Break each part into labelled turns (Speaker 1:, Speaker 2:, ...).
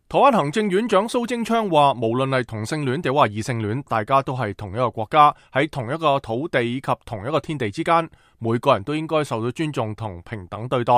Speaker 1: 台灣行政院長蘇貞昌話，無論係同性戀定話異性戀，大家都係同一個國家，喺同一個土地以及同一個天地之間，每個人都應該受到尊重同平等對待。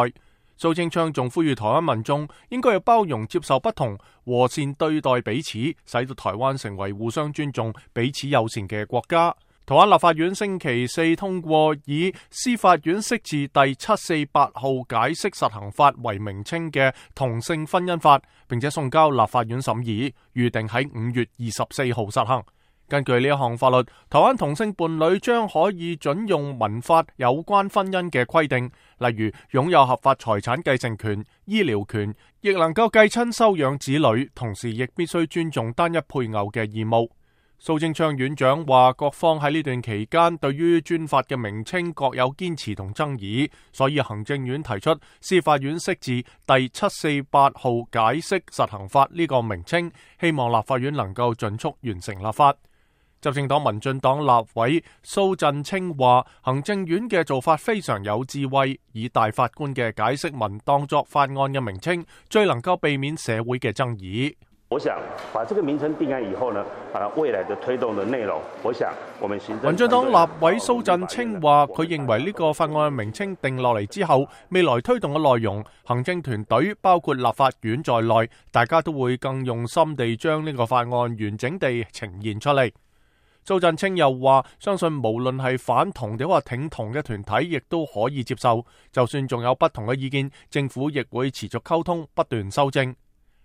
Speaker 1: 蘇貞昌仲呼籲台灣民眾應該要包容接受不同，和善對待彼此，使到台灣成為互相尊重、彼此友善嘅國家。台灣立法院星期四通過以司法院釋字第748號解釋實行法為名稱嘅同性婚姻法，並且送交立法院審議，預定喺5月24號實行。根據呢一項法律，台灣同性伴侶將可以準用民法有關婚姻嘅規定，例如擁有合法財產繼承權、醫療權，亦能夠繼親收養子女，同時亦必須尊重單一配偶嘅義務。蘇貞昌院長話，各方喺呢段期間對於專法嘅名稱各有堅持同爭議，所以行政院提出司法院釋字第748號解釋實行法呢個名稱，希望立法院能夠盡速完成立法。執政黨民進黨立委蘇震清話，行政院嘅做法非常有智慧，以大法官嘅解釋文當作法案嘅名稱，最能夠避免社會嘅爭議。
Speaker 2: 我想把這個名稱定案以後呢，未來的推動的內容，我想我們行政
Speaker 1: 民進黨立委蘇震清話，佢認為呢個法案嘅名稱定落嚟之後，未來推動嘅內容，行政團隊包括立法院在內，大家都會更用心地將呢個法案完整地呈現出嚟。蘇震清又話，相信無論係反同定或挺同嘅團體，亦都可以接受，就算仲有不同嘅意見，政府亦會持續溝通，不斷修正。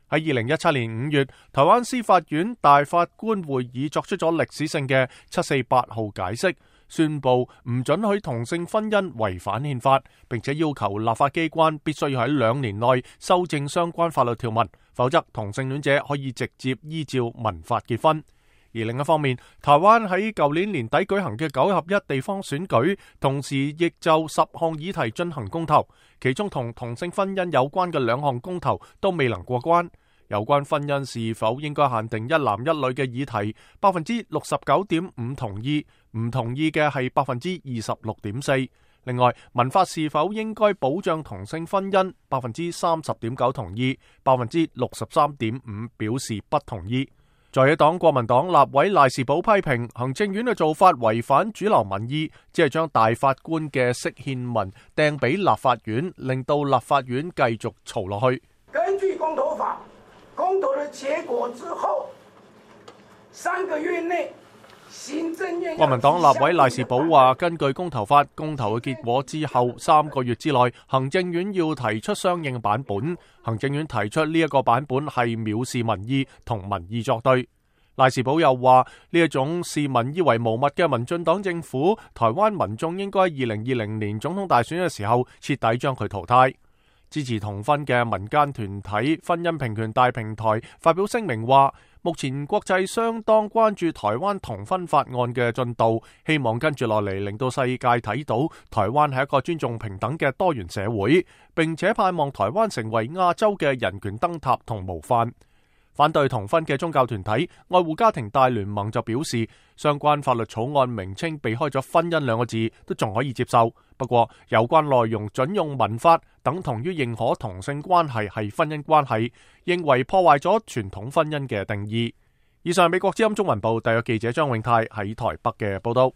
Speaker 1: 喺2017年5月，台灣司法院大法官會議作出咗歷史性嘅748號解釋，宣布唔准許同性婚姻違反憲法，並且要求立法機關必須要喺2年內修正相關法律條文，否則同性戀者可以直接依照民法結婚。而另一方面，台灣喺舊年年底舉行嘅9合1地方選舉，同時亦就10項議題進行公投，其中同同性婚姻有關嘅2項公投都未能過關。有關婚姻是否應該限定一男一女嘅議題，69.5%同意，唔同意嘅係26.4%。另外，民法是否應該保障同性婚姻，30.9%同意，63.5%表示不同意。在野黨國民黨立委賴士葆批評行政院嘅做法違反主流民意，只係將大法官嘅釋憲文掟俾立法院，令到立法院繼續嘈落去。
Speaker 3: 根據公投法，公投的結果之後3個月內，行政院
Speaker 1: 國民黨立委賴士葆話，根據公投法，公投嘅結果之後3個月之內，行政院要提出相應版本。行政院提出呢一個版本係藐視民意同民意作對。賴士葆又話，呢一種視民意為無物嘅民進黨政府，台灣民眾應該2020年總統大選嘅時候徹底將佢淘汰。支持同婚嘅民間團體婚姻平權大平台發表聲明話，目前國際相當關注台灣同婚法案嘅進度，希望跟住落嚟令到世界睇到台灣係一個尊重平等嘅多元社會，並且盼望台灣成為亞洲嘅人權燈塔同模範。反對同婚嘅宗教團體愛護家庭大聯盟就表示，相關法律草案名稱避開咗婚姻2個字都仲可以接受，不過有關內容準用民法，等同於認可同性關係係婚姻關係，認為破壞咗傳統婚姻嘅定義。以上美國之音中文部特約記者張永泰喺台北嘅報道。